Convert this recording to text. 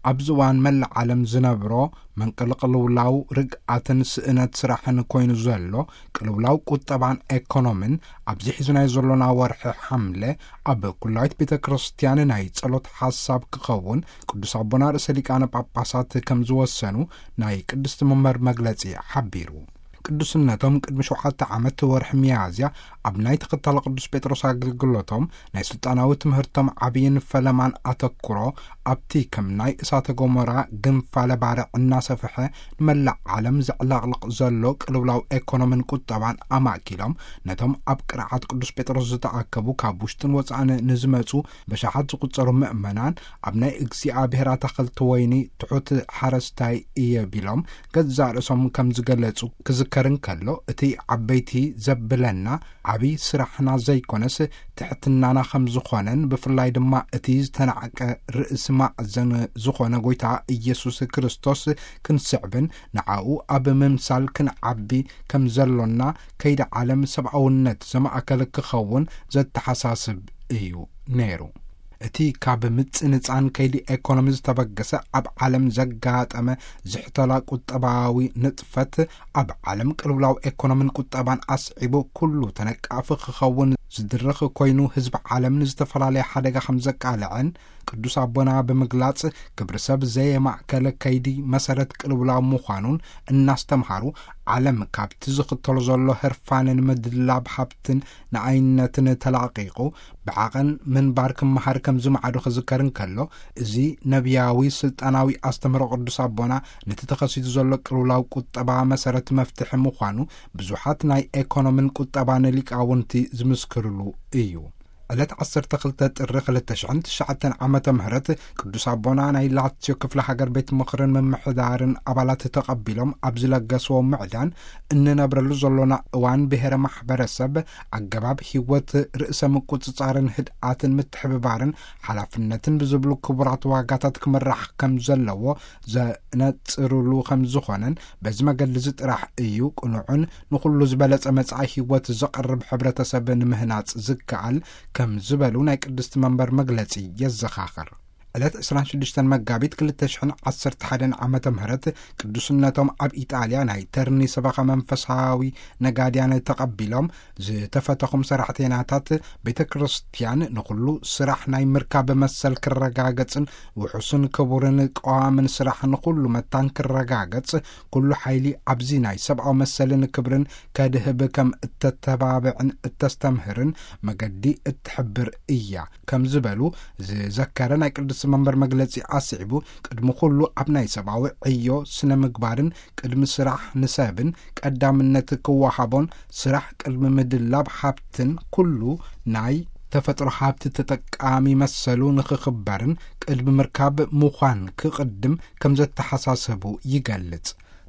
ኣብዚ እዋን መላእ ዓለም ዝነብሮ መንቀልቕልውላው ርግኣትን ስእነት ስራሕን ኮይኑ ዘሎ ቅልውላው ቁጠባን ኤኮኖምን፣ ኣብዚ ሒዙናዮ ዘሎና ወርሒ ሓምለ ኣብ ኩላዊት ቤተ ክርስቲያን ናይ ጸሎት ሓሳብ ክኸውን ቅዱስ ኣቦና ርእሰ ሊቃነ ጳጳሳት ከም ዝወሰኑ ናይ ቅድስቲ መንበር መግለጺ ሓቢሩ። ቅዱስነቶም ቅድሚ ሸውዓተ ዓመት ወርሒ ሚያዝያ ኣብ ናይ ተኸታሊ ቅዱስ ጴጥሮስ ኣገልግሎቶም ናይ ስልጣናዊ ትምህርቶም ዓብይን ፈለማን ኣተኩሮ ኣብቲ ከም ናይ እሳተ ጎመራ ግንፋለ ባርዕ እናሰፍሐ ንመላእ ዓለም ዘዕለቕልቕ ዘሎ ቅልውላው ኤኮኖምን ቁጠባን ኣማእኪሎም፣ ነቶም ኣብ ቅርዓት ቅዱስ ጴጥሮስ ዝተኣከቡ ካብ ውሽጥን ወጻእን ንዝመጹ በሻሓት ዝቁጸሩ ምእመናን፣ ኣብ ናይ እግዚኣብሔር ኣታኽልቲ ወይኒ ትሑት ሓረስታይ እየ ቢሎም ገዛእ ርእሶም ከም ዝገለጹ ክዝከር እንከሎ፣ እቲ ዓበይቲ ዘብለና ዓብዪ ስራሕና ዘይኮነስ ትሕትናና ከም ዝኾነን፣ ብፍላይ ድማ እቲ ዝተናዕቀ ርእሲ ማእዘን ዝኾነ ጎይታ ኢየሱስ ክርስቶስ ክንስዕብን ንዓኡ ኣብ ምምሳል ክንዓቢ ከም ዘሎና፣ ከይዲ ዓለም ሰብኣውነት ዘማእከለ ክኸውን ዘተሓሳስብ እዩ ነይሩ። እቲ ካብ ምጽንጻን ከይዲ ኤኮኖሚ ዝተበገሰ ኣብ ዓለም ዘጋጠመ ዝሕተላ ቁጠባዊ ንጥፈት፣ ኣብ ዓለም ቅልውላው ኤኮኖምን ቁጠባን ኣስዒቡ ኩሉ ተነቃፊ ክኸውን ዝድርኽ ኮይኑ፣ ህዝቢ ዓለም ንዝተፈላለየ ሓደጋ ከም ዘቃልዐን ቅዱስ ኣቦና ብምግላጽ፣ ክብሪ ሰብ ዘየማእከለ ከይዲ መሰረት ቅልውላው ምዃኑን እናስተምሃሩ፣ ዓለም ካብቲ ዝኽተሎ ዘሎ ህርፋንን ምድላብ ሃብትን ንኣይነትን ተላቒቑ ብዓቐን ምንባር ክመሃር ከም ዝመዓዱ ክዝከር እንከሎ፣ እዚ ነቢያዊ ስልጣናዊ ኣስተምህሮ ቅዱስ ኣቦና ነቲ ተኸሲቱ ዘሎ ቅልውላው ቁጠባ መሰረት መፍትሒ ምዃኑ ብዙሓት ናይ ኤኮኖምን ቁጠባን ሊቃውንቲ ዝምስክርሉ እዩ። ዕለት ዓሰርተ ክልተ ጥሪ ክልተ ሽሕን ትሽዓተን ዓመተ ምህረት ቅዱስ ኣቦና ናይ ላትዮ ክፍለ ሃገር ቤት ምኽርን ምምሕዳርን ኣባላት ተቐቢሎም ኣብ ዝለገስዎ ምዕዳን፣ እንነብረሉ ዘሎና እዋን ብሔረ ማሕበረሰብ ኣገባብ ህይወት ርእሰ ምቁጽጻርን ህድኣትን ምትሕብባርን ሓላፍነትን ብዝብሉ ክቡራት ዋጋታት ክምራሕ ከም ዘለዎ ዘነጽርሉ ከም ዝኾነን፣ በዚ መገዲ እዚ ጥራሕ እዩ ቅኑዕን ንኹሉ ዝበለጸ መጻኢ ህይወት ዘቕርብ ሕብረተሰብ ንምህናጽ ዝከኣል ከም ዝበሉ ናይ ቅድስቲ መንበር መግለጺ የዘኻኽር። ዕለት ዕስራን ሽዱሽተን መጋቢት ክልተ ሽሕን ዓሰርተ ሓደን ዓመተ ምህረት ቅዱስነቶም ኣብ ኢጣልያ ናይ ተርኒ ሰበኻ መንፈሳዊ ነጋድያን ተቐቢሎም፣ ዝተፈተኹም ሰራሕተይናታት ቤተ ክርስቲያን ንኹሉ ስራሕ ናይ ምርካብ መሰል ክረጋገጽን ውሑስን ክቡርን ቀዋምን ስራሕ ንኹሉ መታን ክረጋገጽ፣ ኩሉ ሓይሊ ኣብዚ ናይ ሰብኣዊ መሰልን ክብርን ከድህብ ከም እተተባብዕን እተስተምህርን መገዲ እትሕብር እያ ከም ዝበሉ ዝዘከረ ናይ ቅድስቲ መንበር መግለጺ ኣስዒቡ፣ ቅድሚ ኩሉ ኣብ ናይ ሰብኣዊ ዕዮ ስነ ምግባርን ቅድሚ ስራሕ ንሰብን ቀዳምነት ክወሃቦን፣ ስራሕ ቅድሚ ምድላብ ሃብትን ኩሉ ናይ ተፈጥሮ ሃብቲ ተጠቃሚ መሰሉ ንኽኽበርን ቅድሚ ምርካብ ምዃን ክቕድም ከም ዘተሓሳሰቡ ይገልጽ።